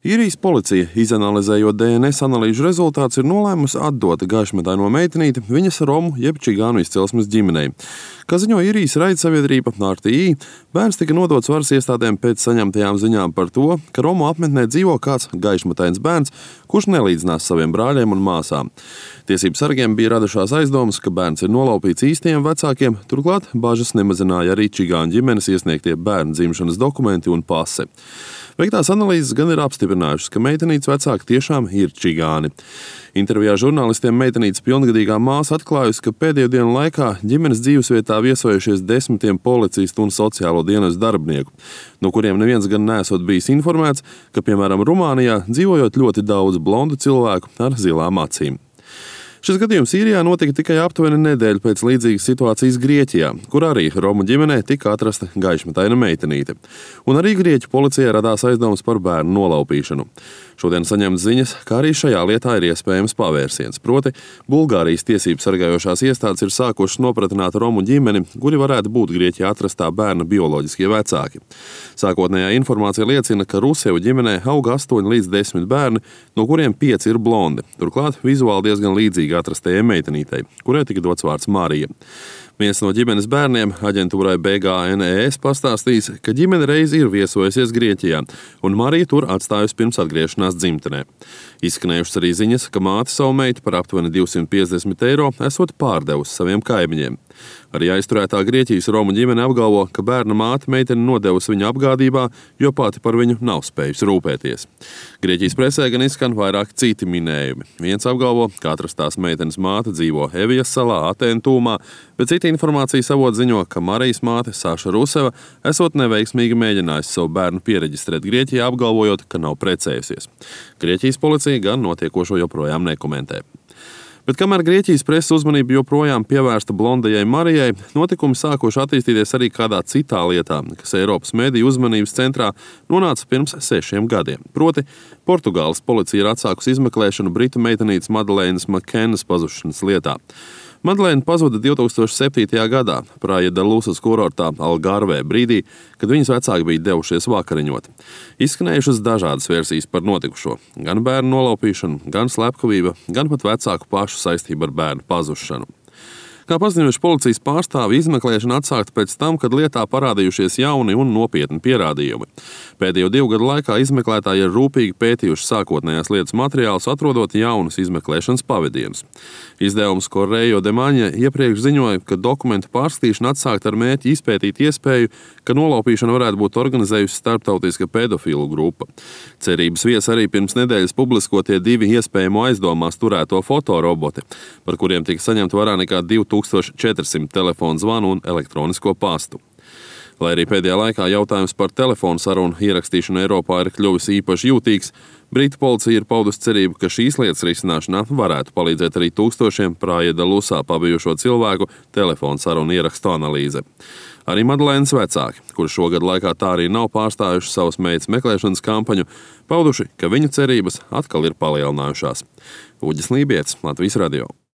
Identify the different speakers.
Speaker 1: Īrijas policija, izanalizējot DNS analīžu rezultātus, ir nolēmusi atdot gaišmetaino meitenīti viņas romu jeb čigānu izcelsmes ģimenei. Kā ziņo Īrijas raidsabiedrība RTI, bērns tika nodots varas iestādēm pēc saņemtajām ziņām par to, ka romu apmetnē dzīvo kāds gaišmetains bērns, kurš nelīdzinās saviem brāļiem un māsām. Tiesību sargiem bija radušās aizdomas, ka bērns ir nolaupīts īstajiem vecākiem, turklāt bažas nemazināja arī čigāņu ģimenes iesniegtie bērnu dzimšanas dokumenti un pase. Veiktās analīzes gan ir apstiprinājušas, ka meitenītes vecāki tiešām ir čigāni. Intervijā žurnālistiem meitenītes pilngadīgā māsa atklājusi, ka pēdējo dienu laikā ģimenes dzīvesvietā viesojušies 10 policistu un sociālo dienestu darbinieku, no kuriem neviens gan neesot bijis informēts, ka, piemēram, Rumānijā dzīvojot ļoti daudz blondu cilvēku ar zilām acīm. Šis gadījums Īrijā notika tikai aptuveni nedēļu pēc līdzīgas situācijas Grieķijā, kur arī romu ģimenē tika atrasta gaišmetaina meitenīte. Un arī Grieķu policijai radās aizdomas par bērnu nolaupīšanu. Šodien saņemts ziņas, ka arī šajā lietā ir iespējams pavērsiens. Proti, Bulgārijas tiesību sargājošās iestādes ir sākušas nopratināt romu ģimeni, kuri varētu būt Grieķijā atrastā bērna bioloģiskie vecāki. Sākotnējā informācija liecina, ka Rusevu ģimenē aug 8 līdz 10 bērni, no kuriem 5 ir blondi. Turklāt vizuāli diezgan līdzīgi atrastajai meitenītei, kurai tika dots vārds Marija. Viens no ģimenes bērniem aģentūrai BGNES pastāstījis, ka ģimene reiz ir viesojusies Grieķijā, un Marija tur atstājusi pirms atgriešanās dzimtenē. Izskanējušas arī ziņas, ka māte savu meitu par aptuveni 250 eiro esot pārdevusi saviem kaimiņiem. Arī aizturētā Grieķijas romu ģimene apgalvo, ka bērna māte meiteni nodevusi viņa apgādībā, jo pati par viņu nav spējusi rūpēties. Grieķijas presē gan izskan vairāk citi minējumi. Viens apgalvo, ka atrastās meitenes māte dzīvo Evijas salā, Atēnu tūmā, bet cita informācijas avoti ziņo, ka Marijas māte Saša Ruseva esot neveiksmīgi mēģinājusi savu bērnu piereģistrēt Grieķijā, apgalvojot, ka nav precējusies. Grieķijas policija gan notiekošo joprojām nekomentē. Bet kamēr Grieķijas preses uzmanība joprojām pievērsta blondajai Marijai, notikumi sākuši attīstīties arī kādā citā lietā, kas Eiropas mediju uzmanības centrā nonāca pirms 6 gadiem. Proti, Portugāles policija ir atsākusi izmeklēšanu britu meitenītes Madalēnas Makenas pazušanas lietā. Madalēna pazuda 2007. gadā Praia da Luzas kurortā Algarvē brīdī, kad viņas vecāki bija devušies vakariņot. Izskanējušas dažādas versijas par notikušo. Gan bērnu nolaupīšanu, gan slepkavība, gan pat vecāku pašu saistību ar bērnu pazušanu. Kā paziņojuši policijas pārstāvi, izmeklēšana atsākta pēc tam, kad lietā parādījušies jauni un nopietni pierādījumi. Pēdējo 2 gadu laikā izmeklētāji ir rūpīgi pētījuši sākotnējās lietas materiālus, atrodot jaunus izmeklēšanas pavadienus. Izdevums Correio de Maņa iepriekš ziņoja, ka dokumentu pārskatīšana atsākta ar mērķi izpētīt iespēju, ka nolaupīšana varētu būt organizējusi starptautiska pedofilu grupa. Cerības vies arī pirms nedēļas publiskotie 2 iespējamo aizdomās turēto fotoroboti, par kuriem tika saņemta vairāk nekā 2400 telefonu zvanu un elektronisko pastu. Lai arī pēdējā laikā jautājums par telefonu sarunu ierakstīšanu Eiropā ir kļuvis īpaši jūtīgs, Britu policija ir paudusi cerību, ka šīs lietas risināšanā varētu palīdzēt arī tūkstošiem Praia da Luzā pabijušo cilvēku telefonu sarunu ierakstu analīze. Arī Madalēnas vecāki, kuri šogad laikā tā arī nav pārstājuši savas meitas meklēšanas kampaņu, pauduši, ka viņu cerības atkal ir palielinājušās. Uģis Lībietis, Latvijas radio.